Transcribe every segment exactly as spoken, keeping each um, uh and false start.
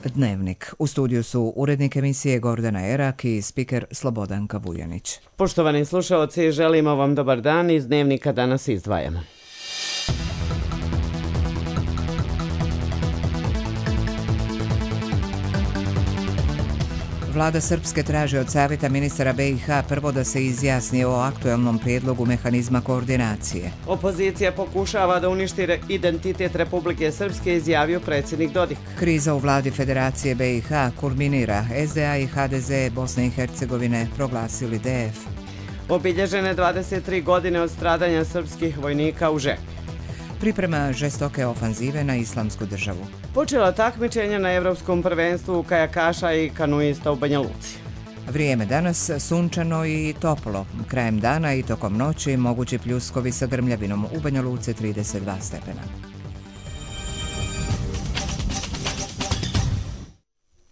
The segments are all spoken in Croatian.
Dnevnik. U studiju su urednik emisije Gordana Erak i spiker Slobodanka Vujanić. Poštovani slušaoci, želimo vam dobar dan. Iz Dnevnika danas izdvajamo. Vlada Srpske traži od Savjeta ministara B i H prvo da se izjasni o aktuelnom prijedlogu mehanizma koordinacije. Opozicija pokušava da uništi identitet Republike Srpske, izjavio predsjednik Dodik. Kriza u vladi Federacije B i H kulminira. S D A i H D Z Bosne i Hercegovine proglasili D F. Obilježene dvadeset tri godine od stradanja srpskih vojnika u Žepi. Priprema žestoke ofanzive na Islamsku državu. Počela takmičenja na Evropskom prvenstvu kajakaša i kanuista u Banja Luci. Vrijeme danas sunčano i toplo. Krajem dana i tokom noći mogući pljuskovi sa grmljavinom, u Banja Luci trideset dva stepena.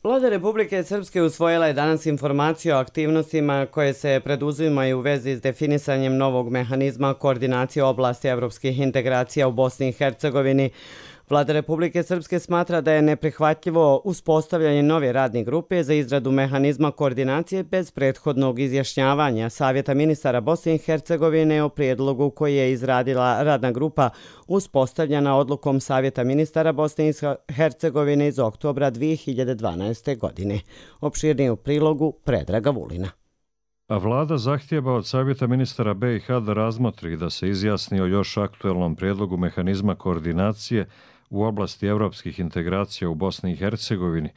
Vlada Republike Srpske usvojila je danas informaciju o aktivnostima koje se preduzimaju u vezi s definisanjem novog mehanizma koordinacije oblasti evropskih integracija u Bosni i Hercegovini. Vlada Republike Srpske smatra da je neprihvatljivo uspostavljanje nove radne grupe za izradu mehanizma koordinacije bez prethodnog izjašnjavanja Savjeta ministara Bosne i Hercegovine o prijedlogu koji je izradila radna grupa uspostavljena odlukom Savjeta ministara Bosne i Hercegovine iz oktobra dvije hiljade dvanaeste. godine. Opširnije u prilogu Predraga Vulina. A vlada zahtijeva od Savjeta ministara B i H da razmotri da se izjasni o još aktuelnom prijedlogu mehanizma koordinacije u oblasti evropskih integracija u Bosni i Hercegovini,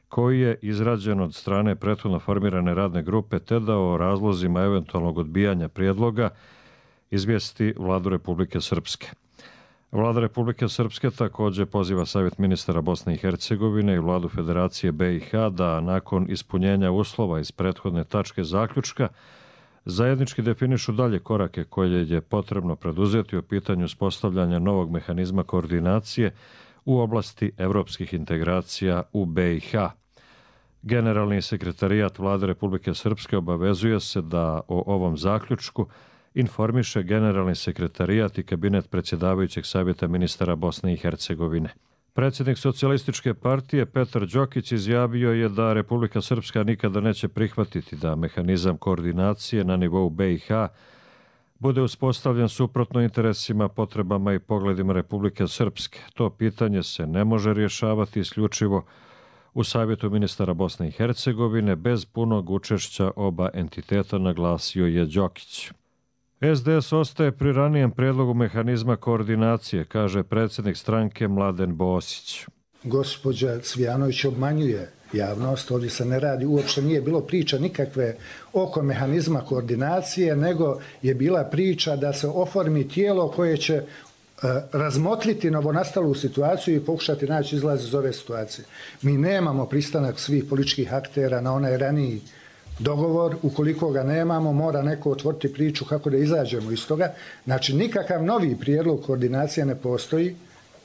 koji je izrađen od strane prethodno formirane radne grupe, te da o razlozima eventualnog odbijanja prijedloga izvijesti Vladu Republike Srpske. Vlada Republike Srpske također poziva Savjet ministara Bosne i Hercegovine i Vladu Federacije B i H da nakon ispunjenja uslova iz prethodne tačke zaključka zajednički definišu dalje korake koje je potrebno preduzeti u pitanju uspostavljanja novog mehanizma koordinacije u oblasti evropskih integracija u B i H. Generalni sekretarijat Vlade Republike Srpske obavezuje se da o ovom zaključku informiše Generalni sekretarijat i kabinet predsjedavajućeg Savjeta ministara Bosne i Hercegovine. Predsjednik Socijalističke partije Petar Đokić izjavio je da Republika Srpska nikada neće prihvatiti da mehanizam koordinacije na nivou B i H bude uspostavljen suprotno interesima, potrebama i pogledima Republike Srpske. To pitanje se ne može rješavati isključivo u Savjetu ministara Bosne i Hercegovine bez punog učešća oba entiteta, naglasio je Đokić. S D S ostaje pri ranijem prijedlogu mehanizma koordinacije, kaže predsjednik stranke Mladen Bosić. Gospođa Cvijanović obmanjuje javnost, ovdje se ne radi, uopšte nije bilo priča nikakve oko mehanizma koordinacije, nego je bila priča da se oformi tijelo koje će e, razmotriti novonastalu situaciju i pokušati naći izlaz iz ove situacije. Mi nemamo pristanak svih političkih aktera na onaj raniji dogovor, ukoliko ga nemamo, mora neko otvoriti priču kako da izađemo iz toga. Znači, nikakav novi prijedlog koordinacije ne postoji.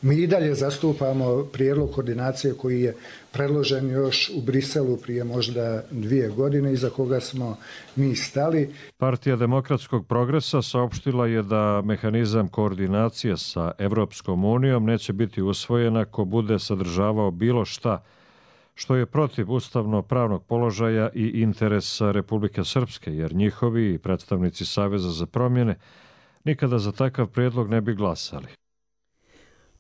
Mi i dalje zastupamo prijedlog koordinacije koji je predložen još u Briselu prije možda dvije godine, iza koga smo mi stali. Partija demokratskog progresa saopštila je da mehanizam koordinacije sa Evropskom unijom neće biti usvojen ako bude sadržavao bilo šta što je protiv ustavno-pravnog položaja i interesa Republike Srpske, jer njihovi predstavnici Saveza za promjene nikada za takav prijedlog ne bi glasali.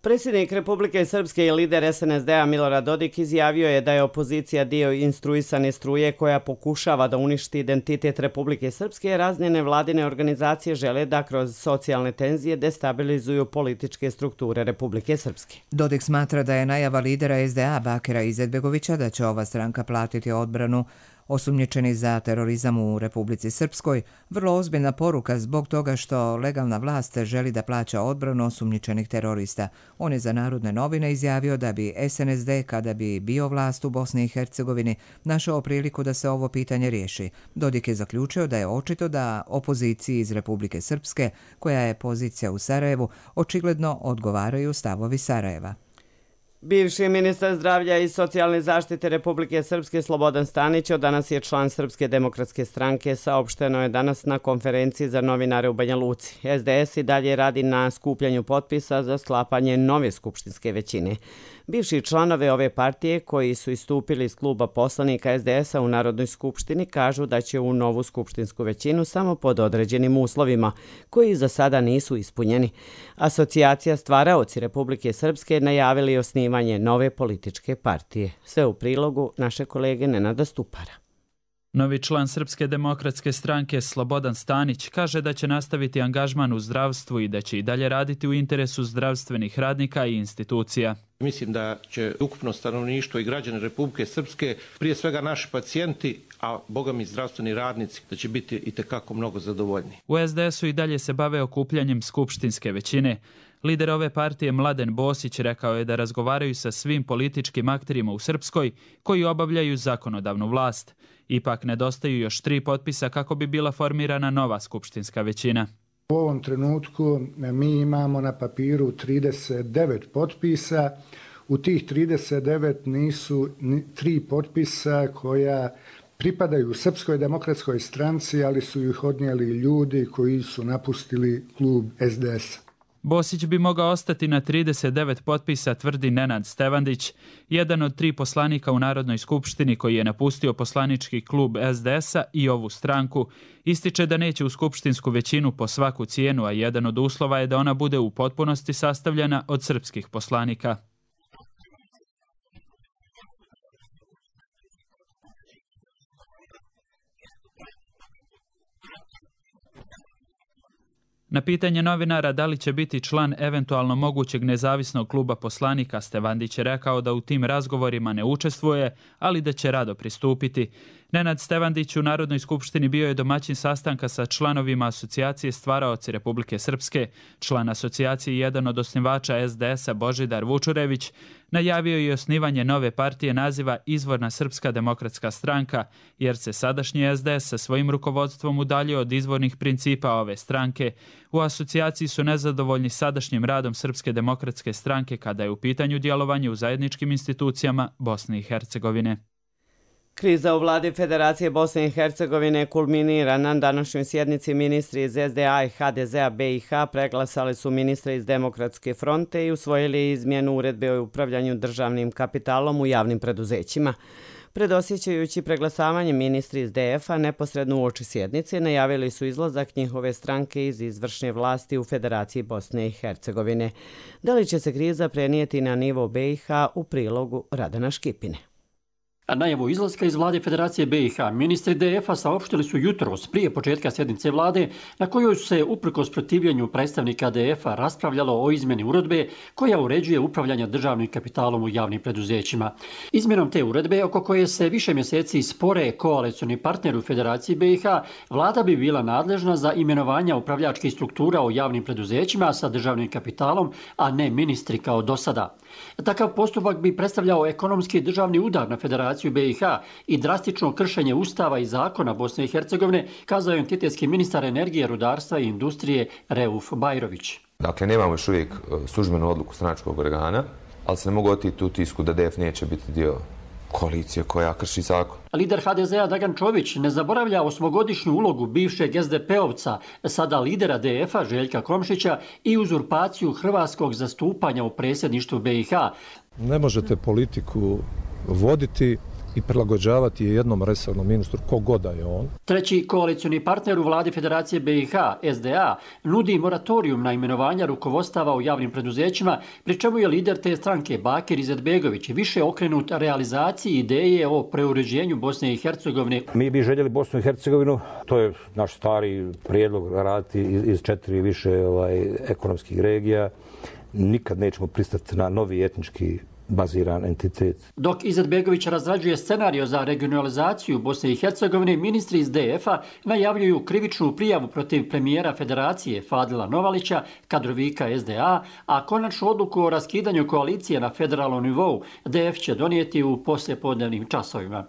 Predsjednik Republike Srpske i lider S N S D-a Milorad Dodik izjavio je da je opozicija dio instruisane struje koja pokušava da uništi identitet Republike Srpske, jer razne nevladine organizacije žele da kroz socijalne tenzije destabilizuju političke strukture Republike Srpske. Dodik smatra da je najava lidera S D A Bakira Izetbegovića da će ova stranka platiti odbranu osumnjičeni za terorizam u Republici Srpskoj vrlo ozbiljna poruka zbog toga što legalna vlast želi da plaća odbranu osumnjičenih terorista. On je za Narodne novine izjavio da bi S N S D, kada bi bio vlast u Bosni i Hercegovini, našao priliku da se ovo pitanje riješi. Dodik je zaključio da je očito da opoziciji iz Republike Srpske, koja je pozicija u Sarajevu, očigledno odgovaraju stavovi Sarajeva. Bivši ministar zdravlja i socijalne zaštite Republike Srpske Slobodan Stanić od danas je član Srpske demokratske stranke, saopšteno je danas na konferenciji za novinare u Banja Luci. S D S i dalje radi na skupljanju potpisa za sklapanje nove skupštinske većine. Bivši članove ove partije koji su istupili iz kluba poslanika es de es-a u Narodnoj skupštini kažu da će u novu skupštinsku većinu samo pod određenim uslovima, koji za sada nisu ispunjeni. Asocijacija Stvaraoci Republike Srpske najavili osnivanje nove političke partije. Sve u prilogu naše kolege Nenada Stupara. Novi član Srpske demokratske stranke Slobodan Stanić kaže da će nastaviti angažman u zdravstvu i da će i dalje raditi u interesu zdravstvenih radnika i institucija. Mislim da će ukupno stanovništvo i građani Republike Srpske, prije svega naši pacijenti, a boga mi zdravstveni radnici, da će biti itekako mnogo zadovoljni. U es de es-u i dalje se bave okupljanjem skupštinske većine. Lider ove partije Mladen Bosić rekao je da razgovaraju sa svim političkim akterima u Srpskoj koji obavljaju zakonodavnu vlast. Ipak nedostaju još tri potpisa kako bi bila formirana nova skupštinska većina. U ovom trenutku mi imamo na papiru trideset devet potpisa. U tih trideset devet nisu tri potpisa koja pripadaju Srpskoj demokratskoj stranci, ali su ih odnijeli ljudi koji su napustili klub es de es-a. Bosić bi mogao ostati na trideset devet potpisa, tvrdi Nenad Stevandić, jedan od tri poslanika u Narodnoj skupštini koji je napustio poslanički klub es de es-a i ovu stranku. Ističe da neće u skupštinsku većinu po svaku cijenu, a jedan od uslova je da ona bude u potpunosti sastavljena od srpskih poslanika. Na pitanje novinara da li će biti član eventualno mogućeg nezavisnog kluba poslanika, Stevandić je rekao da u tim razgovorima ne učestvuje, ali da će rado pristupiti. Nenad Stevandić u Narodnoj skupštini bio je domaćin sastanka sa članovima Asocijacije Stvaraoci Republike Srpske. Član asocijacije i jedan od osnivača es de es-a Božidar Vučurević najavio je osnivanje nove partije naziva Izvorna Srpska demokratska stranka, jer se sadašnji es de es sa svojim rukovodstvom udaljio od izvornih principa ove stranke. U asocijaciji su nezadovoljni sadašnjim radom Srpske demokratske stranke kada je u pitanju djelovanje u zajedničkim institucijama Bosne i Hercegovine. Kriza u vladi Federacije Bosne i Hercegovine kulminira. Na današnjoj sjednici ministri iz es de a i ha de ze-a be i ha preglasali su ministre iz Demokratske fronte i usvojili izmjenu uredbe o upravljanju državnim kapitalom u javnim preduzećima. Predosjećajući preglasavanje, ministri iz de ef-a neposredno uoči sjednice najavili su izlazak njihove stranke iz izvršne vlasti u Federaciji Bosne i Hercegovine. Da li će se kriza prenijeti na nivo be i ha u prilogu Radana Škipine? A najavu izlaska iz vlade Federacije be i ha ministri de ef-a saopštili su jutros prije početka sjednice vlade na kojoj su se uprkos protivljenju predstavnika de ef-a raspravljalo o izmjeni uredbe koja uređuje upravljanje državnim kapitalom u javnim preduzećima. Izmjenom te uredbe, oko koje se više mjeseci spore koalicioni partner u Federaciji be i ha, vlada bi bila nadležna za imenovanja upravljačkih struktura u javnim preduzećima sa državnim kapitalom, a ne ministri kao do sada. Takav postupak bi predstavljao ekonomski državni udar na Federaciju be i ha i drastično kršenje Ustava i zakona Bosne i Hercegovine, kazao je entitetski ministar energije, rudarstva i industrije Reuf Bajrović. Dakle, nemamo još uvijek službenu odluku stranačkog organa, ali se ne mogu otiti u tisku da de ef neće biti dio koalicije koja krši zakon. Lider ha de ze-a Dragan Čović ne zaboravlja osmogodišnju ulogu bivšeg es de pe-ovca, sada lidera de ef-a Željka Komšića i uzurpaciju hrvatskog zastupanja u predsjedništvu be i ha. Ne možete politiku voditi i prilagođavati je jednom resornom ministru, kogoda je on. Treći koalicioni partner u vladi Federacije be i ha, es de a, nudi moratorijum na imenovanja rukovodstava u javnim preduzećima, pri čemu je lider te stranke Bakir Izetbegović više okrenut realizaciji ideje o preuređenju Bosne i Hercegovine. Mi bi željeli Bosnu i Hercegovinu, to je naš stari prijedlog, raditi iz četiri više ovaj, ekonomskih regija. Nikad nećemo pristati na novi etnički baziran entitet. Dok Izetbegović razrađuje scenario za regionalizaciju Bosne i Hercegovine, ministri iz de ef-a najavljuju krivičnu prijavu protiv premijera Federacije Fadila Novalića, kadrovika es de a, a konačnu odluku o raskidanju koalicije na federalnom nivou de ef će donijeti u poslijepodnevnim časovima.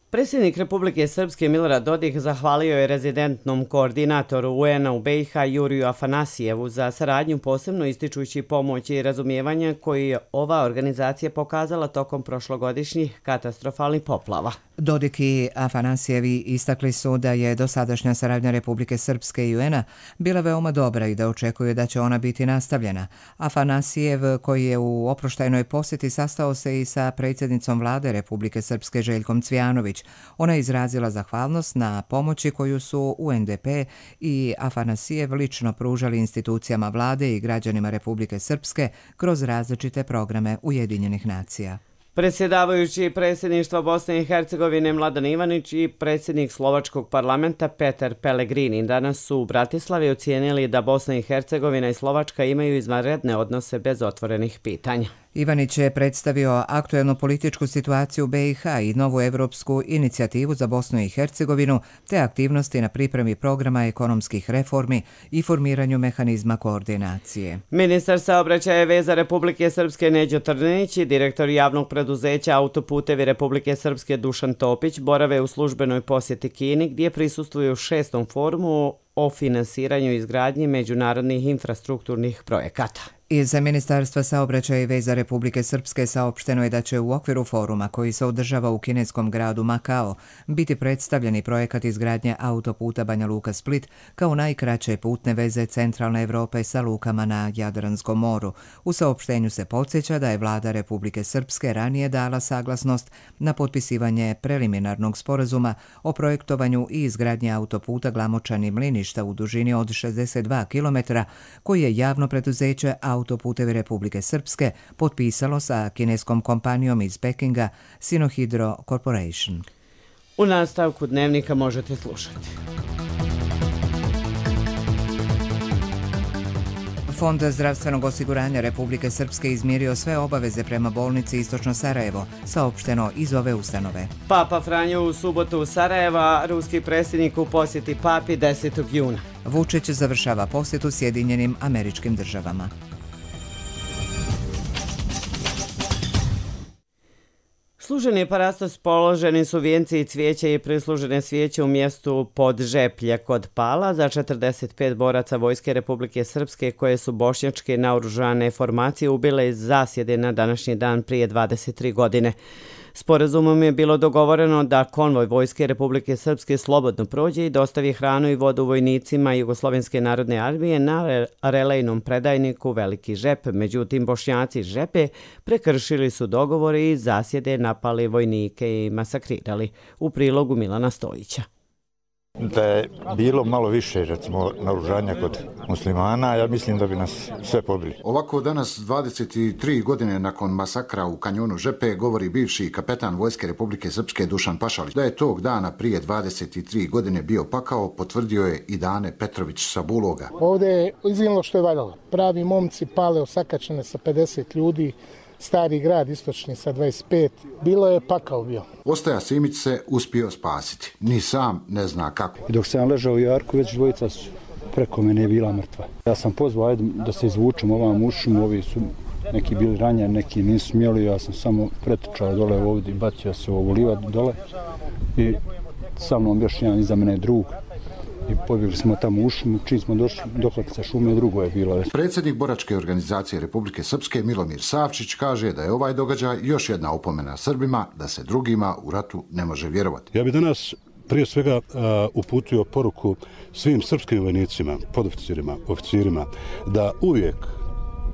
Predsjednik Republike Srpske Milorad Dodik zahvalio je rezidentnom koordinatoru U N A u B i H Juriju Afanasijevu za saradnju, posebno ističući pomoć i razumijevanje koji je ova organizacija pokazala tokom prošlogodišnjih katastrofalnih poplava. Dodik i Afanasijevi istakli su da je dosadašnja saradnja Republike Srpske i U N A bila veoma dobra i da očekuju da će ona biti nastavljena. Afanasijev, koji je u oproštajnoj posjeti, sastao se i sa predsjednicom vlade Republike Srpske Željkom Cvijanović. Ona je izrazila zahvalnost na pomoći koju su U N D P i Afanasijev lično pružali institucijama vlade i građanima Republike Srpske kroz različite programe Ujedinjenih nacija. Predsjedavajući predsjedništva Bosne i Hercegovine Mladen Ivanić i predsjednik Slovačkog parlamenta Petar Pellegrini danas su u Bratislavi ocijenili da Bosna i Hercegovina i Slovačka imaju izvanredne odnose bez otvorenih pitanja. Ivanić je predstavio aktuelnu političku situaciju u B i H i novu evropsku inicijativu za Bosnu i Hercegovinu, te aktivnosti na pripremi programa ekonomskih reformi i formiranju mehanizma koordinacije. Ministar saobraćaja i veza Republike Srpske Neđo Trninić i direktor javnog preduzeća Autoputevi Republike Srpske Dušan Topić borave u službenoj posjeti Kini, gdje prisustvuju šestom forumu o finansiranju izgradnje međunarodnih infrastrukturnih projekata. Iz Ministarstva saobraćaja i veza Republike Srpske saopšteno je da će u okviru foruma koji se održava u kineskom gradu Makao biti predstavljeni projekat izgradnje autoputa Banja Luka-Split kao najkraće putne veze centralne Evrope sa lukama na Jadranskom moru. U saopštenju se podsjeća da je vlada Republike Srpske ranije dala saglasnost na potpisivanje preliminarnog sporazuma o projektovanju i izgradnji autoputa Glamočani-Mliništa u dužini od šezdeset dva kilometra, koji je javno preduzeće Autoputevi Republike Srpske potpisalo sa kineskom kompanijom iz Pekinga Sinohydro Corporation. U nastavku dnevnika možete slušati. Fond zdravstvenog osiguranja Republike Srpske izmirio sve obaveze prema bolnici Istočno Sarajevo, saopšteno iz ove ustanove. Papa Franjo u subotu u Sarajeva, ruski predsjednik u posjeti papi desetog juna. Vučić završava posjetu Sjedinjenim Američkim Državama. Služeni parastos, položeni su vijenci i cvijeće i prislužene svijeće u mjestu Podžeplje kod Pala za četrdeset pet boraca Vojske Republike Srpske koje su bošnjačke naoružane formacije ubile iz zasjede na današnji dan prije dvadeset tri godine. Sporazumom je bilo dogovoreno da konvoj Vojske Republike Srpske slobodno prođe i dostavi hranu i vodu vojnicima Jugoslovenske narodne armije na relejnom predajniku Veliki Žep. Međutim, Bošnjaci Žepe prekršili su dogovore i zasjede napali vojnike i masakrirali. U prilogu Milana Stojića. Da je bilo malo više, recimo, naoružanja kod muslimana, ja mislim da bi nas sve pobili. Ovako danas, dvadeset tri godine nakon masakra u kanjonu Žepe, govori bivši kapetan Vojske Republike Srpske Dušan Pašalić. Da je tog dana prije dvadeset tri godine bio pakao, potvrdio je i Dane Petrović sa Buloga. Ovdje je izginilo što je valjalo. Pravi momci pale osakačene sa pedeset ljudi, Stari grad istočni sa dvadeset pet, bilo je pakao bio. Ostaja Simić se uspio spasiti, ni sam ne zna kako. I dok sam ležao u jarku, već dvojica su preko mene je bila mrtva. Ja sam pozvao, ajde da se izvučem ovam ušom, ovi su neki bili ranjeni, neki nisu smjeli, ja sam samo pretrčao dole ovdje i bacio se u ovu livadu dole i sa mnom još jedan iza mene drug. I pobjegli smo tamo u šumu, čim smo došli do sa šume, drugo je bilo. Predsjednik Boračke organizacije Republike Srpske Milomir Savčić kaže da je ovaj događaj još jedna opomena Srbima da se drugima u ratu ne može vjerovati. Ja bih danas prije svega uh, uputio poruku svim srpskim vojnicima, podoficirima, oficirima, da uvijek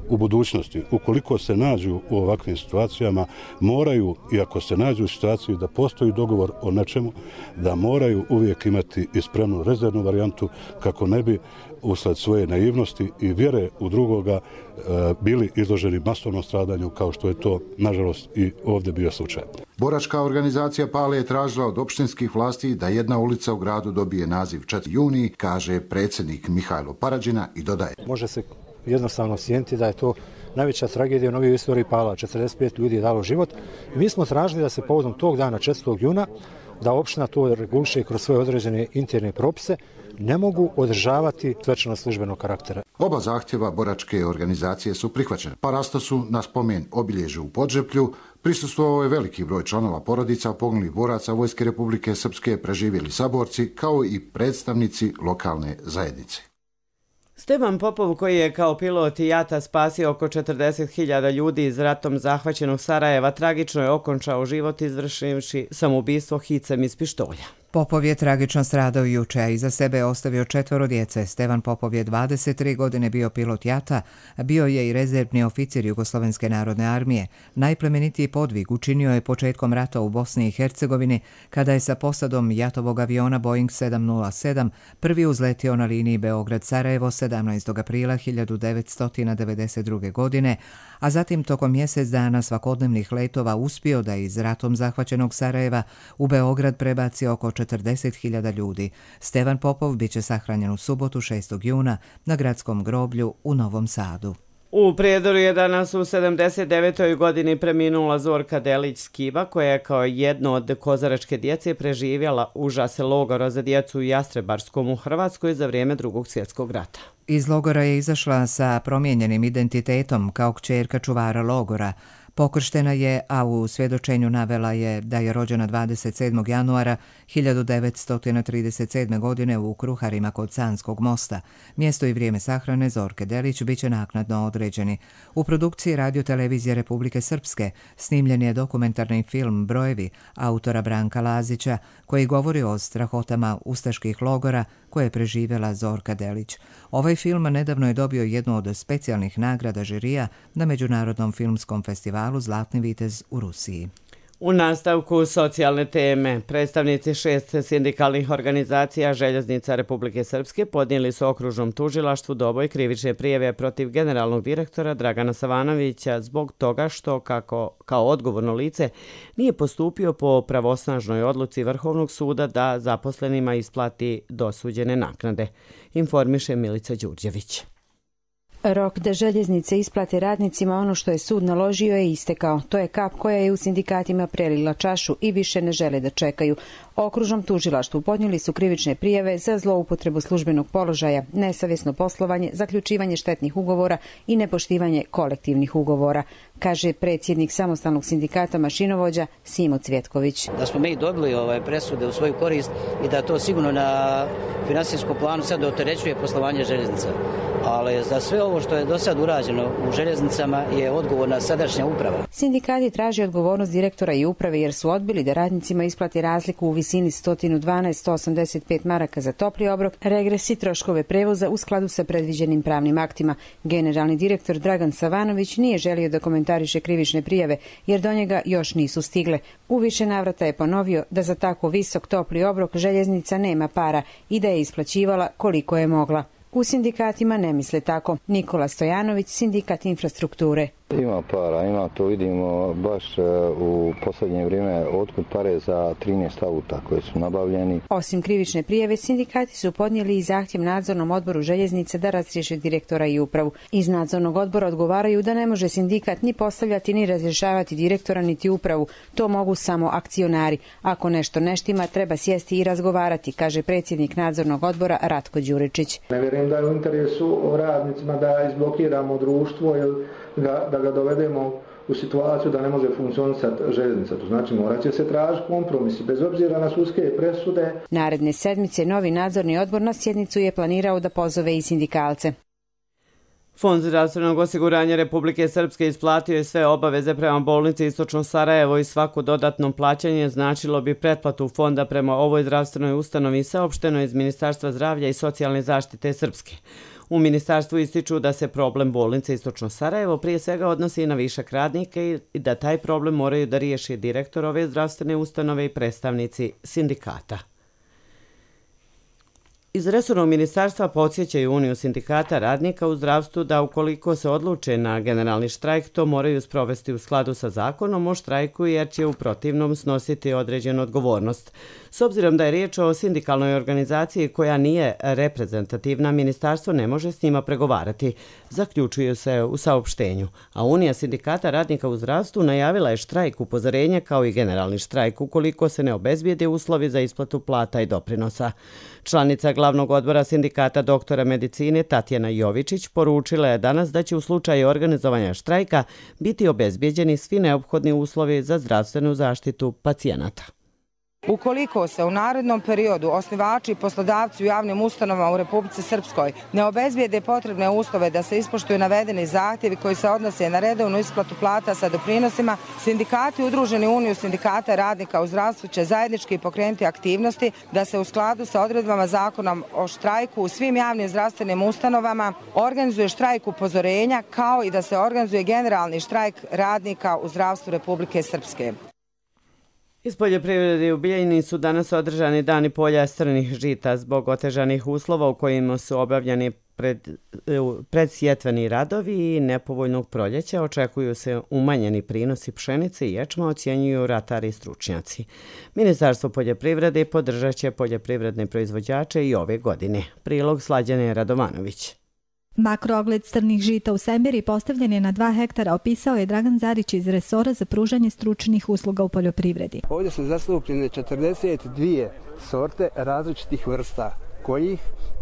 u budućnosti, ukoliko se nađu u ovakvim situacijama, moraju, i ako se nađu u situaciji da postoji dogovor o nečemu, da moraju uvijek imati i spremnu rezervnu varijantu kako ne bi usled svoje naivnosti i vjere u drugoga e, bili izloženi masovnom stradanju kao što je to, nažalost, i ovdje bio slučaj. Boračka organizacija Pale je tražila od opštinskih vlasti da jedna ulica u gradu dobije naziv četvrti juni, kaže predsjednik Mihajlo Parađina i dodaje. Može se jednostavno sjeniti da je to najveća tragedija u novijoj istoriji Pala. četrdeset pet ljudi je dalo život. I mi smo tražili da se povodom tog dana četvrtog juna da opština to reguliše kroz svoje određene interne propise, ne mogu održavati svečano službenog karaktera. Oba zahtjeva boračke organizacije su prihvaćene. Parastosu na spomen obilježju u Podžeplju prisustvovao je veliki broj članova porodica poginulih boraca Vojske Republike Srpske, preživjeli saborci, kao i predstavnici lokalne zajednice. Stevan Popov, koji je kao pilot jata spasio oko četrdeset hiljada ljudi iz ratom zahvaćenog Sarajeva, tragično je okončao život izvršivši samoubistvo hicem iz pištolja. Popov je tragično stradao juče, a iza sebe ostavio četvoro djece. Stevan Popov je dvadeset tri godine bio pilot jata, bio je i rezervni oficir Jugoslovenske narodne armije. Najplemenitiji podvig učinio je početkom rata u Bosni i Hercegovini, kada je sa posadom jatovog aviona Boeing sedam nula sedam prvi uzletio na liniji Beograd-Sarajevo sedamnaestog aprila hiljadu devetsto devedeset druge. godine, a zatim tokom mjesec dana svakodnevnih letova uspio da iz ratom zahvaćenog Sarajeva u Beograd prebaci oko četrdeset hiljada ljudi. Stevan Popov biće sahranjen u subotu šestog juna na gradskom groblju u Novom Sadu. U Prijedoru je danas u sedamdeset devetoj godini preminula Zorka Delić-Skiba, koja je kao jedno od kozaračke djece preživjela užase logora za djecu u Jastrebarskom u Hrvatskoj za vrijeme Drugog svjetskog rata. Iz logora je izašla sa promijenjenim identitetom kao kćerka čuvara logora. Pokrštena je, a u svjedočenju navela je da je rođena dvadeset sedmog januara hiljadu devetsto trideset sedme. godine u Kruharima kod Sanskog mosta. Mjesto i vrijeme sahrane Zorke Delić biće naknadno određeni. U produkciji Radio-televizije Republike Srpske snimljen je dokumentarni film Brojevi autora Branka Lazića, koji govori o strahotama ustaških logora koje je preživjela Zorka Delić. Ovaj film nedavno je dobio jednu od specijalnih nagrada žirija na Međunarodnom filmskom festivalu Zlatni vitez u Rusiji. U nastavku socijalne teme, predstavnici šest sindikalnih organizacija Željeznica Republike Srpske podnijeli su okružnom tužilaštvu Doboj krivične prijave protiv generalnog direktora Dragana Savanovića zbog toga što, kako kao odgovorno lice, nije postupio po pravosnažnoj odluci Vrhovnog suda da zaposlenima isplati dosuđene naknade, informiše Milica Đurđević. Rok da željeznice isplate radnicima ono što je sud naložio je istekao. To je kap koja je u sindikatima prelila čašu i više ne žele da čekaju. Okružnom tužilaštvu podnijeli su krivične prijave za zloupotrebu službenog položaja, nesavjesno poslovanje, zaključivanje štetnih ugovora i nepoštivanje kolektivnih ugovora, kaže predsjednik samostalnog sindikata mašinovođa Simo Cvjetković. Da smo mi dobili ovaj presude u svoju korist i da to sigurno na finansijskom planu sad opterećuje poslovanje željeznica. Ali za sve ovo što je do sad urađeno u željeznicama je odgovorna sadašnja uprava. Sindikati traže odgovornost direktora i uprave jer su odbili da radnicima isplati razliku u visini sto dvanaest zarez sto osamdeset pet maraka za topli obrok, regres i troškove prevoza u skladu sa predviđenim pravnim aktima. Generalni direktor Dragan Savanović nije želio da komentariše krivične prijave jer do njega još nisu stigle. U više navrata je ponovio da za tako visok topli obrok željeznica nema para i da je isplaćivala koliko je mogla. U sindikatima ne misle tako. Nikola Stojanović, sindikat infrastrukture. Ima para, ima, to vidimo baš u posljednje vrijeme otkud pare za trinaest auta koji su nabavljeni. Osim krivične prijave, sindikati su podnijeli i zahtjev nadzornom odboru željeznice da razriješe direktora i upravu. Iz nadzornog odbora odgovaraju da ne može sindikat ni postavljati ni razrješavati direktora niti upravu. To mogu samo akcionari. Ako nešto ne štima, treba sjesti i razgovarati, kaže predsjednik nadzornog odbora Ratko Đuričić. Ne vjerujem da je u interesu radnicima da izblokiramo društvo ili da, da ga dovedemo u situaciju da ne može funkcionisati željeznica. To znači morat će se tražiti kompromisi bez obzira na sudske presude. Naredne sedmice novi nadzorni odbor na sjednicu je planirao da pozove i sindikalce. Fond zdravstvenog osiguranja Republike Srpske isplatio je sve obaveze prema bolnici Istočno Sarajevo i svako dodatno plaćanje značilo bi pretplatu fonda prema ovoj zdravstvenoj ustanovi, saopšteno iz Ministarstva zdravlja i socijalne zaštite Srpske. U ministarstvu ističu da se problem bolnice Istočno Sarajevo prije svega odnosi na višak radnika i da taj problem moraju da riješi direktor ove zdravstvene ustanove i predstavnici sindikata. Iz resornog ministarstva podsjećaju Uniju sindikata radnika u zdravstvu da ukoliko se odluče na generalni štrajk, to moraju sprovesti u skladu sa zakonom o štrajku jer će u protivnom snositi određenu odgovornost. S obzirom da je riječ o sindikalnoj organizaciji koja nije reprezentativna, ministarstvo ne može s njima pregovarati, zaključuju se u saopštenju. A Unija sindikata radnika u zdravstvu najavila je štrajk upozorenja kao i generalni štrajk ukoliko se ne obezbijede uslovi za isplatu plata i doprinosa. Članica glavnog odbora sindikata doktora medicine Tatjana Jovičić poručila je danas da će u slučaju organizovanja štrajka biti obezbijeđeni svi neophodni uslovi za zdravstvenu zaštitu pacijenata. Ukoliko se u narednom periodu osnivači i poslodavci u javnim ustanovama u Republici Srpskoj ne obezbijede potrebne uslove da se ispoštuju navedeni zahtjevi koji se odnose na redovnu isplatu plata sa doprinosima, sindikati udruženi u Uniju sindikata radnika u zdravstvu će zajednički pokrenuti aktivnosti da se u skladu sa odredbama zakona o štrajku u svim javnim zdravstvenim ustanovama organizuje štrajk upozorenja kao i da se organizuje generalni štrajk radnika u zdravstvu Republike Srpske. Iz poljoprivrede u Bijeljini su danas održani dani polja strnih žita zbog otežanih uslova u kojima su obavljani pred, predsjetveni radovi i nepovoljnog proljeća. Očekuju se umanjeni prinosi pšenice i ječma, ocjenjuju ratari i stručnjaci. Ministarstvo poljoprivrede podržat će poljoprivredne proizvođače i ove godine. Prilog Slađane Radovanović. Makroogled strnih žita u Sembiri postavljen je na dva hektara, opisao je Dragan Zarić iz resora za pružanje stručnih usluga u poljoprivredi. Ovdje su zastupljene četrdeset dvije sorte različitih vrsta, kojih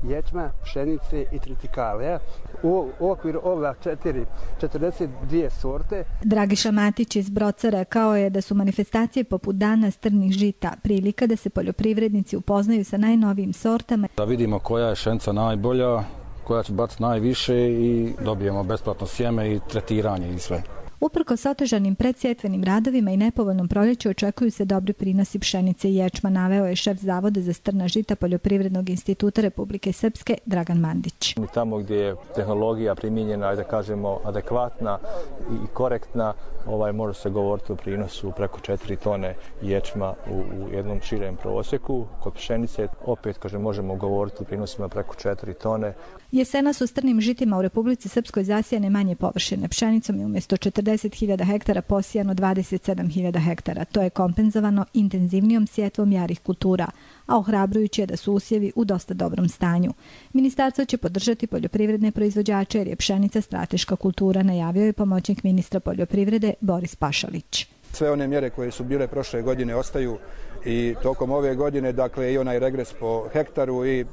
ječma, pšenice i tritikale. U okviru ova četiri, četrdeset dvije sorte. Dragiša Matić iz Broca rekao je da su manifestacije poput Dana strnih žita prilika da se poljoprivrednici upoznaju sa najnovijim sortama. Da vidimo koja je pšenica najbolja, koja će baciti najviše i dobijemo besplatno sjeme i tretiranje i sve. Uprkos otežanim predsjetvenim radovima i nepovoljnom proljeću očekuju se dobri prinosi pšenice i ječma, naveo je šef Zavoda za strna žita Poljoprivrednog instituta Republike Srpske Dragan Mandić. Tamo gdje je tehnologija primijenjena, da kažemo, adekvatna i korektna, ovaj, može se govoriti o prinosu preko četiri tone ječma u, u jednom širem prosjeku. Kod pšenice opet, kažem, možemo govoriti o prinosima preko četiri tone. Jesena su strnim žitima u Republici Srpskoj zasijane manje površine. Pšenicom je umjesto četrdeset hiljada hektara posijano dvadeset sedam hiljada hektara. To je kompenzovano intenzivnijom sjetvom jarih kultura, a ohrabrujuće je da su usjevi u dosta dobrom stanju. Ministarstvo će podržati poljoprivredne proizvođače jer je pšenica strateška kultura, najavio je pomoćnik ministra poljoprivrede Boris Pašalić. Sve one mjere koje su bile prošle godine ostaju i tokom ove godine, dakle i onaj regres po hektaru i e,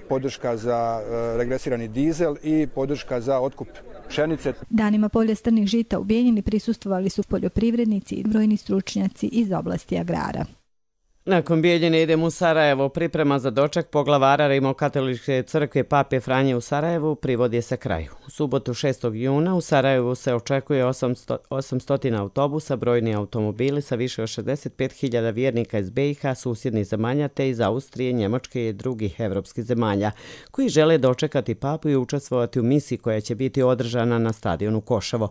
podrška za e, regresirani dizel i podrška za otkup pšenice. Danima polja strnih žita u Bijeljini prisustvovali su poljoprivrednici i brojni stručnjaci iz oblasti agrara. Nakon Bijeljine idemo u Sarajevo. Priprema za doček poglavara Rimokatoličke crkve Pape Franje u Sarajevu privodi se kraju. U subotu šestog juna u Sarajevu se očekuje osamsto autobusa, brojni automobili sa više od šezdeset pet hiljada vjernika iz be i ha, susjednih zemalja te iz Austrije, Njemačke i drugih evropskih zemalja, koji žele dočekati papu i učestvovati u misiji koja će biti održana na stadionu Koševo.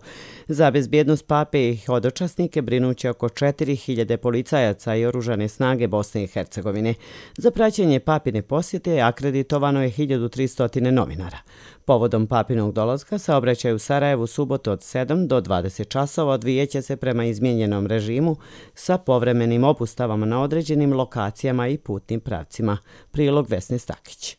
Za bezbjednost pape i hodočasnike brinuće oko četiri hiljade policajaca i oružane snage Bosne i Hercegovine. Za praćenje papine posjete akreditovano je hiljadu tristo novinara. Povodom papinog dolaska saobraćaj u Sarajevu subotu od sedam do dvadeset časova odvijeće se prema izmijenjenom režimu sa povremenim obustavama na određenim lokacijama i putnim pravcima. Prilog Vesne Stakić.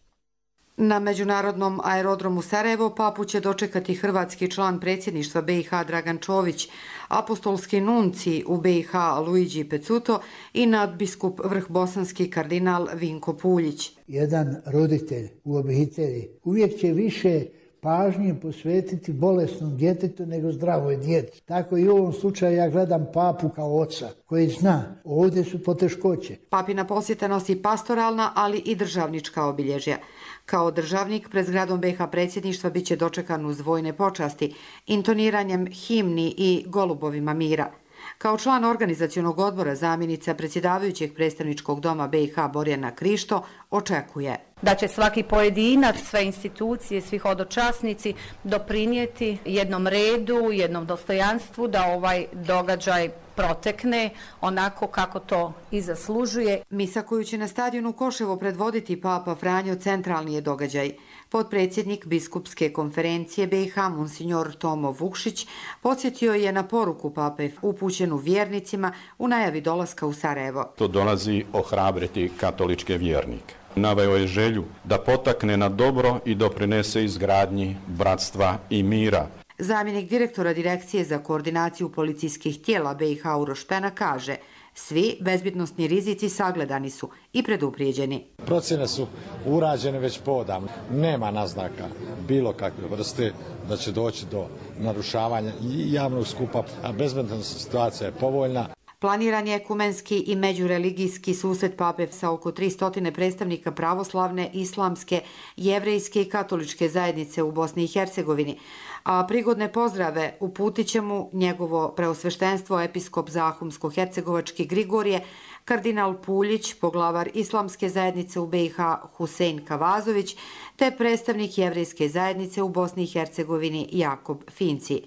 Na međunarodnom aerodromu Sarajevo papu će dočekati hrvatski član predsjedništva be i ha Dragan Čović, apostolski nunci u be i ha Luigi Pecuto i nadbiskup vrhbosanski kardinal Vinko Puljić. Jedan roditelj u obitelji uvijek će više pažnje posvetiti bolesnom djetetu nego zdravoj djeci. Tako i u ovom slučaju ja gledam papu kao oca koji zna ovdje su poteškoće. Papina posjeta nosi pastoralna, ali i državnička obilježja. Kao državnik pred zgradom be i ha predsjedništva biće dočekan uz vojne počasti, intoniranjem himni i golubovima mira. Kao član organizacionog odbora zamjenica predsjedavajućeg predstavničkog doma be i ha Borjana Krišto očekuje da će svaki pojedinac, sve institucije, svi hodočasnici doprinijeti jednom redu, jednom dostojanstvu da ovaj događaj protekne onako kako to i zaslužuje. Misa koju će na stadionu Koševo predvoditi Papa Franjo centralni je događaj. Potpredsjednik Biskupske konferencije B i H, monsignor Tomo Vukšić, podsjetio je na poruku Pape upućenu vjernicima u najavi dolaska u Sarajevo. To dolazi ohrabriti katoličke vjernike. Naveo je želju da potakne na dobro i doprinese izgradnji bratstva i mira. Zamjenik direktora Direkcije za koordinaciju policijskih tijela B i H Uroš Pena kaže: svi bezbjednosni rizici sagledani su i preduprijeđeni. Procjene su urađene već podavno. Nema naznaka bilo kakve vrste da će doći do narušavanja javnog skupa, a bezbjednosna situacija je povoljna. Planiran je ekumenski i međureligijski susret Pape sa oko tristo predstavnika pravoslavne, islamske, jevrejske i katoličke zajednice u Bosni i Hercegovini, a prigodne pozdrave uputit će mu njegovo preosveštenstvo episkop Zahumsko-hercegovački Grigorije, kardinal Puljić, poglavar islamske zajednice u B i H Husein Kavazović, te predstavnik jevrejske zajednice u Bosni i Hercegovini Jakob Finci.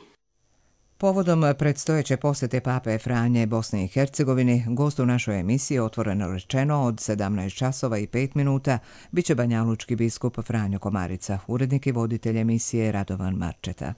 Povodom predstojeće posjete Pape Franje Bosni i Hercegovini, gost u našoj emisiji Otvoreno rečeno od sedamnaest časova i pet minuta biće banjalučki biskup Franjo Komarica, urednik i voditelj emisije Radovan Marčeta.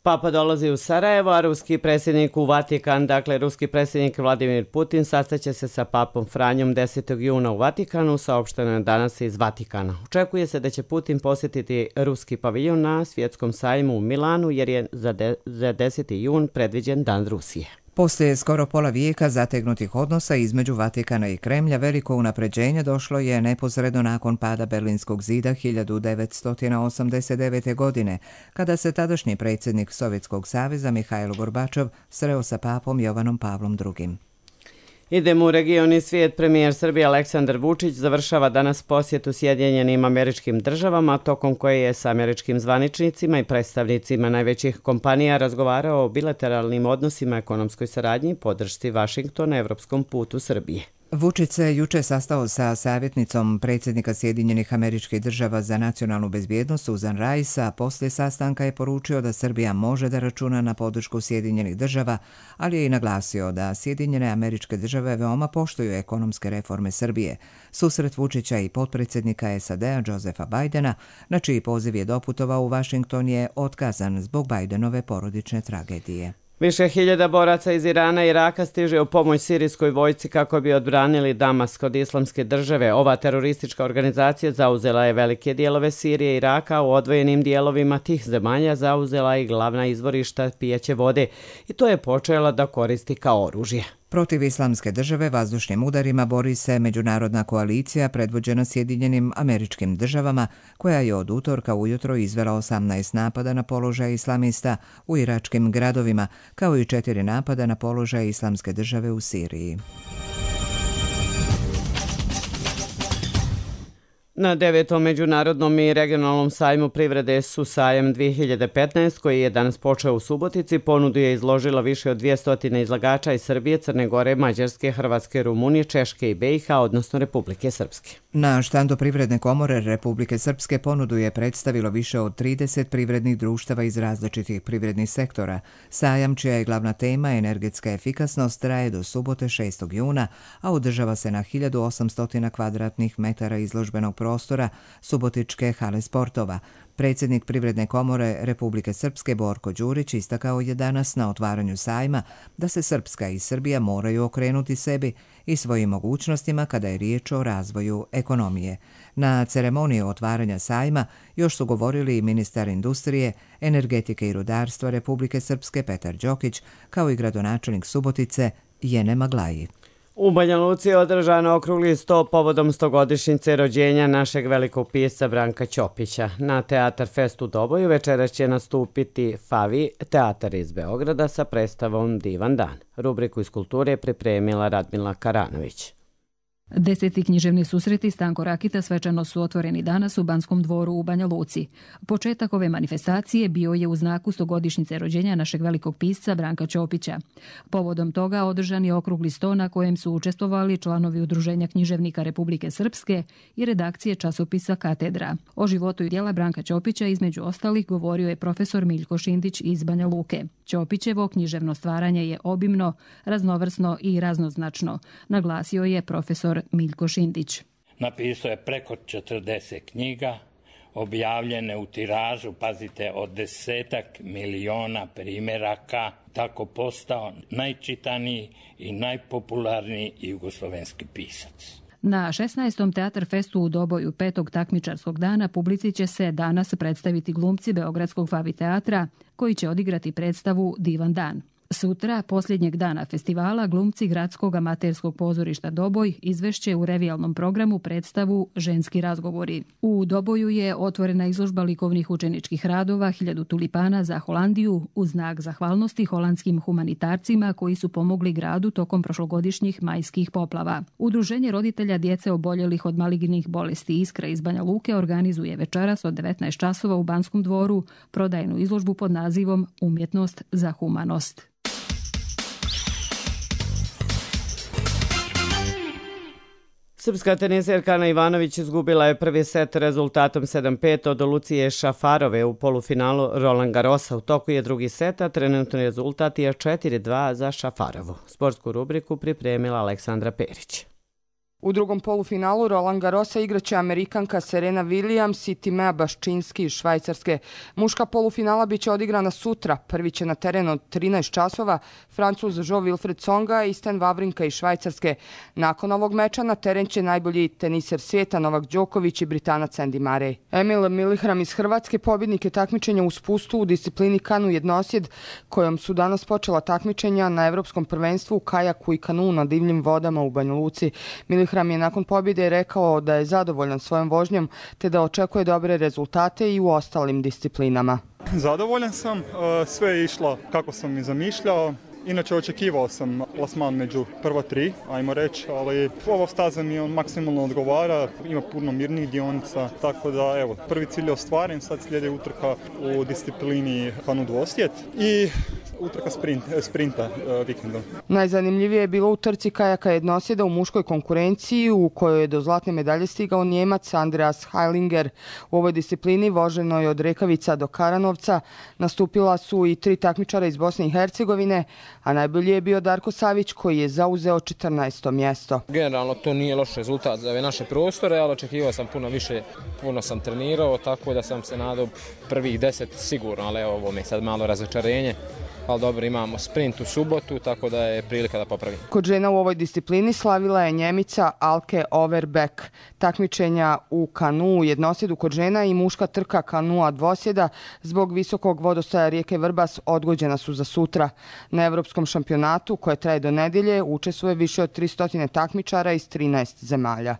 Papa dolazi u Sarajevo, a ruski predsjednik u Vatikan, dakle ruski predsjednik Vladimir Putin, sastaće se sa papom Franjom desetog juna u Vatikanu, saopšteno je danas iz Vatikana. Očekuje se da će Putin posjetiti ruski paviljon na svjetskom sajmu u Milanu, jer je za, de, za deseti jun predviđen Dan Rusije. Poslije skoro pola vijeka zategnutih odnosa između Vatikana i Kremlja, veliko unapređenje došlo je neposredno nakon pada Berlinskog zida hiljadu devetsto osamdeset devete. godine, kada se tadašnji predsjednik Sovjetskog saveza Mihajlo Gorbačov sreo sa papom Jovanom Pavlom drugim. Idemo u region i svijet. Premijer Srbije Aleksandar Vučić završava danas posjetu Sjedinjenim Američkim Državama, tokom koje je sa američkim zvaničnicima i predstavnicima najvećih kompanija razgovarao o bilateralnim odnosima, ekonomskoj saradnji i podršci Vašingtona evropskom putu Srbije. Vučić se juče sastao sa savjetnicom predsjednika Sjedinjenih Američkih Država za nacionalnu bezbjednost Susan Rice, a poslije sastanka je poručio da Srbija može da računa na podršku Sjedinjenih Država, ali je i naglasio da Sjedinjene Američke Države veoma poštuju ekonomske reforme Srbije. Susret Vučića i potpredsjednika S A D-a Josefa Bidena, na čiji poziv je doputovao u Vašington, je otkazan zbog Bidenove porodične tragedije. Više hiljada boraca iz Irana i Iraka stiže u pomoć sirijskoj vojsci kako bi odbranili Damask od Islamske države. Ova teroristička organizacija zauzela je velike dijelove Sirije i Iraka, u odvojenim dijelovima tih zemalja zauzela i glavna izvorišta pijaće vode i to je počela da koristi kao oružje. Protiv Islamske države vazdušnim udarima bori se međunarodna koalicija predvođena Sjedinjenim Američkim Državama, koja je od utorka ujutro izvela osamnaest napada na položaje islamista u iračkim gradovima, kao i četiri napada na položaje Islamske države u Siriji. Na devetom međunarodnom i regionalnom sajmu privrede su sajam dvije hiljade petnaeste, koji je danas počeo u Subotici, ponudu je izložilo više od dvjesto izlagača iz Srbije, Crne Gore, Mađarske, Hrvatske, Rumunije, Češke i B i H, odnosno Republike Srpske. Na štandu Privredne komore Republike Srpske ponudu je predstavilo više od trideset privrednih društava iz različitih privrednih sektora. Sajam, čija je glavna tema energetska efikasnost, traje do subote šestog juna, a održava se na hiljadu osamsto kvadratnih metara izložbenog prostora Subotičke hale sportova. Predsjednik Privredne komore Republike Srpske Borko Đurić istakao je danas na otvaranju sajma da se Srpska i Srbija moraju okrenuti sebi i svojim mogućnostima kada je riječ o razvoju ekonomije. Na ceremoniji otvaranja sajma još su govorili i ministar industrije, energetike i rudarstva Republike Srpske Petar Đokić, kao i gradonačelnik Subotice Jene Maglaji. U Banja Luci je održano okrugli sto povodom stogodišnjice rođenja našeg velikog pisca Branka Ćopića. Na Teatar Fest u Doboju večeras će nastupiti Favi, teatar iz Beograda, sa predstavom Divan dan. Rubriku iz kulture je pripremila Radmila Karanović. Deseti književni susreti Stanko Rakita svečano su otvoreni danas u Banskom dvoru u Banja Luci. Početak ove manifestacije bio je u znaku stogodišnjice rođenja našeg velikog pisca Branka Ćopića. Povodom toga održan je okrugli sto na kojem su učestvovali članovi Udruženja književnika Republike Srpske i redakcije časopisa Katedra. O životu i djela Branka Ćopića između ostalih govorio je profesor Miljko Šindić iz Banja Luke. Ćopićevo književno stvaranje je obimno, raznovrsno i raznoznačno, naglasio je profesor Miljko Šindić. Napisao je preko četrdeset knjiga, objavljene u tiražu, pazite, od desetak miliona primjeraka, tako postao najčitaniji i najpopularniji jugoslovenski pisac. Na šesnaestom Teatar festu u Doboju petog takmičarskog dana publici će se danas predstaviti glumci Beogradskog Favi teatra koji će odigrati predstavu Divan dan. Sutra, posljednjeg dana festivala, glumci Gradskog amaterskog pozorišta Doboj izvešće u revijalnom programu predstavu Ženski razgovori. U Doboju je otvorena izložba likovnih učeničkih radova Hiljadu tulipana za Holandiju u znak zahvalnosti holandskim humanitarcima koji su pomogli gradu tokom prošlogodišnjih majskih poplava. Udruženje roditelja djece oboljelih od malignih bolesti Iskra iz Banja Luke organizuje večeras od devetnaest časova u Banskom dvoru prodajnu izložbu pod nazivom Umjetnost za humanost. Srpska teniserka Ana Ivanović izgubila je prvi set rezultatom sedam pet od Lucije Šafarove u polufinalu Roland Garrosa. U toku je drugi set, a trenutni rezultat je četiri dva za Šafarovu. Sportsku rubriku pripremila Aleksandra Perić. U drugom polufinalu Roland Garrosa igraće Amerikanka Serena Williams i Timea Baščinski iz Švajcarske. Muška polufinala biće odigrana sutra. Prvi će na teren od trinaest časova Francuz Jo-Wilfried Tsonga i Stan Wawrinka iz Švajcarske. Nakon ovog meča na teren će najbolji teniser svijeta Novak Đoković i Britanac Andy Murray. Emil Milihram iz Hrvatske pobjednik je takmičenja u spustu u disciplini kanu jednosjed, kojom su danas počela takmičenja na Evropskom prvenstvu u kajaku i kanu na divljim vodama u Banja Luci. Milihram je nakon pobjede rekao da je zadovoljan svojom vožnjom te da očekuje dobre rezultate i u ostalim disciplinama. Zadovoljan sam, sve je išlo kako sam i zamišljao. Inače očekivao sam plasman među prva tri, ajmo reći, ali ova staza mi on maksimalno odgovara, ima puno mirnih dionica, tako da evo, prvi cilj je ostvaren, sad slijedi utrka u disciplini kanu dvosjet i utrka sprint, sprinta uh, vikendom. Najzanimljivije je bilo u trci kajaka jednosjeda u muškoj konkurenciji u kojoj je do zlatne medalje stigao Njemac Andreas Heilinger. U ovoj disciplini voženo je od Rekavica do Karanovca, nastupila su i tri takmičara iz Bosne i Hercegovine, a najbolji je bio Darko Savić koji je zauzeo četrnaesto mjesto. Generalno to nije loš rezultat za ove naše prostore, ali očekivao sam puno više, puno sam trenirao, tako da sam se nadao prvih deset sigurno, ali evo, ovo mi je sad malo razočarenje. Ali dobro, imamo sprint u subotu, tako da je prilika da popravim. Kod žena u ovoj disciplini slavila je Njemica Alke Overbeck. Takmičenja u kanu jednosjedu kod žena i muška trka kanua dvosjeda zbog visokog vodostaja rijeke Vrbas odgođena su za sutra. Na evropskom šampionatu, koje traje do nedjelje, učestvuje više od tristo takmičara iz trinaest zemalja.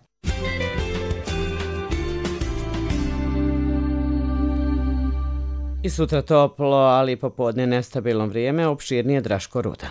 I sutra toplo, ali popodne nestabilno vrijeme, opširnije Draško Rudan.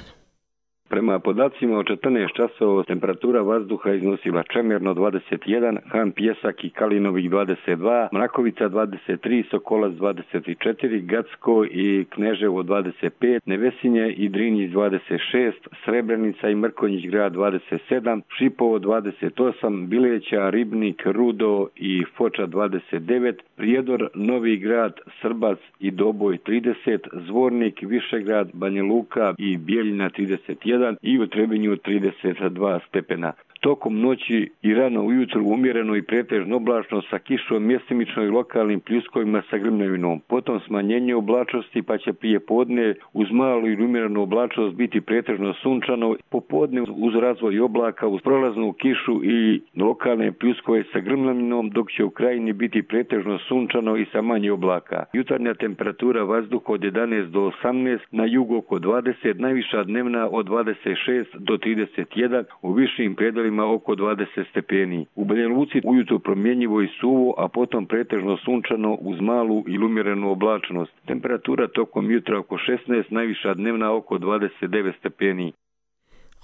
Prema podacima od četrnaest časova temperatura vazduha iznosila Čemerno dvadeset jedan, Han Pjesak i Kalinovik dvadeset dva, Mrakovica dvadeset tri, Sokolac dvadeset četiri, Gacko i Kneževo dvadeset pet, Nevesinje i Drinjić dvadeset šest, Srebrenica i Mrkonjić grad dvadeset sedam, Šipovo dvadeset osam, Bileća, Ribnik, Rudo i Foča dvadeset devet, Prijedor, Novi grad, Srbac i Doboj trideset, Zvornik, Višegrad, Banja Luka i Bijeljina trideset jedan i u Trebinju trideset dva stepena. Tokom noći i rano ujutru umjereno i pretežno oblačno sa kišom, mjestimično i lokalnim pljuskovima sa grmljavinom. Potom smanjenje oblačnosti, pa će prije podne uz malu i umjerenu oblačnost biti pretežno sunčano. Popodne uz razvoj oblaka, uz prolaznu kišu i lokalne pljuskove sa grmljavinom, dok će u krajini biti pretežno sunčano i sa manje oblaka. Jutarnja temperatura vazduha od jedanaest do osamnaest, na jugu oko dvadeset, najviša dnevna od dvadeset šest do trideset jedan, u višim predjelima oko dvadeset stepeni. U Banja Luci ujutro promjenjivo i suvo, a potom pretežno sunčano uz malu i umjerenu oblačnost. Temperatura tokom jutra oko šesnaest, najviša dnevna oko dvadeset devet stepeni.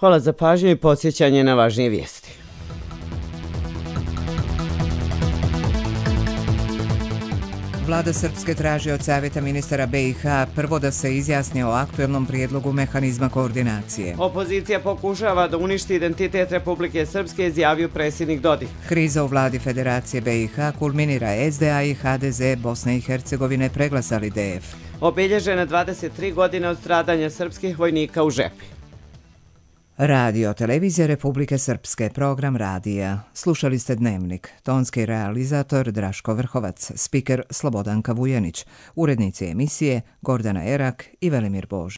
Hvala za pažnju i podsjećanje na važnije vijesti. Vlada Srpske traži od Savjeta ministara B i H prvo da se izjasni o aktuelnom prijedlogu mehanizma koordinacije. Opozicija pokušava da uništi identitet Republike Srpske, izjavio predsjednik Dodik. Kriza u vladi Federacije B i H kulminira. S D A i H D Z Bosne i Hercegovine preglasali D F. Obilježene dvadeset tri godine od stradanja srpskih vojnika u Žepi. Radio Televizija Republike Srpske, program radija. Slušali ste Dnevnik. Tonski realizator Draško Vrhovac, spiker Slobodanka Vujanić, urednici emisije Gordana Erak i Velimir Bož.